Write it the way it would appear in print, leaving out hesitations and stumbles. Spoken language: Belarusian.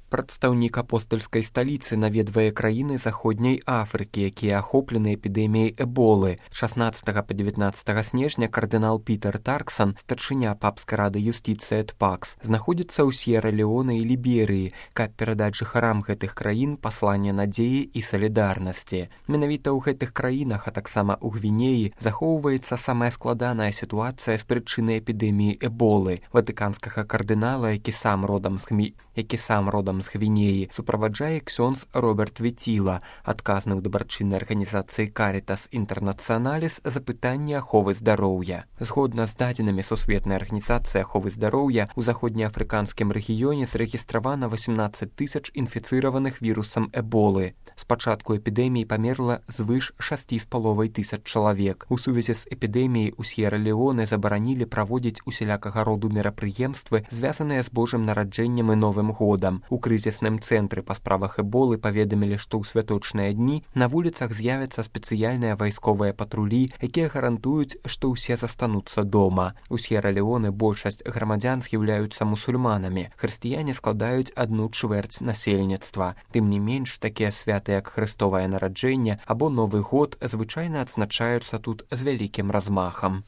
Прадстаўнік апостальскай сталіцы наведвае краіны заходняй Афрыкі, якія ахоплены эпідэміяй эболы. 16 па 19 снежня кардынал Пітер Тарксан, старшыня папскай рады юстыцыі эт Пакс, знаходзіцца ў С'ера-Леоне і Ліберыі, каб перадаць жыхарам гэтых краін пасланне надзеі і салідарнасці. Менавіта ў гэтых краінах, а таксама ў Гвінеі, захоўваецца самая складаная сітуацыя з прычыны эпідэміі эболы. Ватыканскага кардынала, які сам родам з Гвінеі, суправаджае ксёндз Роберт Ветіла, адказны ў дабрачыннай арганізацыі Карітас Інтэрнацыяналіс за пытанне аховы здароўя. Згодна з дадзенымі Сусветнай арганізацыі аховы здароўя, у заходнеафрыканскім рэгіёне зарэгістравана 18 тысяч інфіцыраваных вірусам эболы. З пачатку эпідэміі памерла звыш 6,5 тысяч чалавек. У сувязі з эпідэміяй у С'ера-Леоне забаранілі праводзіць усялякага роду мерапрыемствы, звязаныя з Божым нараджэннем і Новым годам. У крызісным цэнтры па справах эболы паведамілі, што ў святочныя дні на вуліцах з'явяцца спецыяльныя вайсковыя патрулі, якія гарантуюць, што ўсе застануцца дома. У С'ера-Леоне большасць грамадзян з'яўляюцца мусульманамі. Хрысціяне складаюць 1/4 насельніцтва. Тым не менш, такія святы, як Хрыстовае нараджэнне або Новы год, звычайна адзначаюцца тут з вялікім размахам.